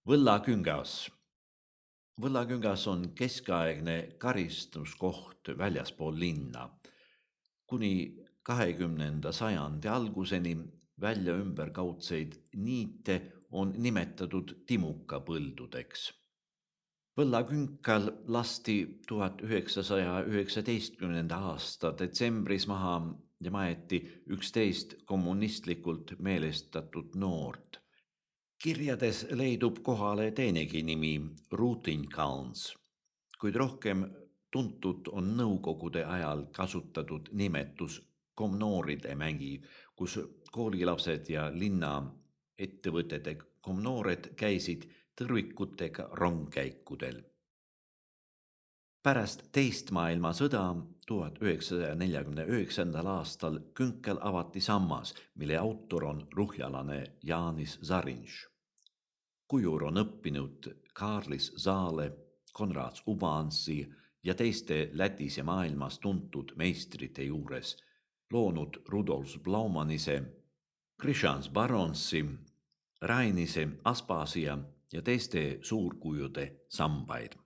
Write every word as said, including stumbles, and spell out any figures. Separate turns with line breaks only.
Võllaküngas. Võllaküngas on keskaegne karistuskoht väljaspool linna. Kuni kahekümnenda sajandi alguseni välja ümberkaudseid niite on nimetatud timukapõldudeks. Võllakünkal lasti tuhat üheksasaja üheksateistkümnenda aasta detsembris maha ja maeti üksteist kommunistlikult meelestatud noort. Kirjades leidub kohale teinegi nimi Ruutinkauns, kuid rohkem tuntud on nõukogude ajal kasutatud nimetus komnooride mägi, kus koolilapsed ja linna ettevõtete komnoored käisid tõrvikutega rongkäikudel. Pärast teist maailmasõda tuhat üheksasaja neljakümne üheksandal aastal künkel avati sammas, mille autor on ruhjalane Jānis Zariņš. Kujur on õppinud Kārlis Zāle, Konrads Ubansi ja teiste Lätis ja maailmas tuntud meistrite juures, loonud Rudolf Blaumanise, Krishans Baronsi, Rainise, Aspasia ja teiste suurkujude sambaid.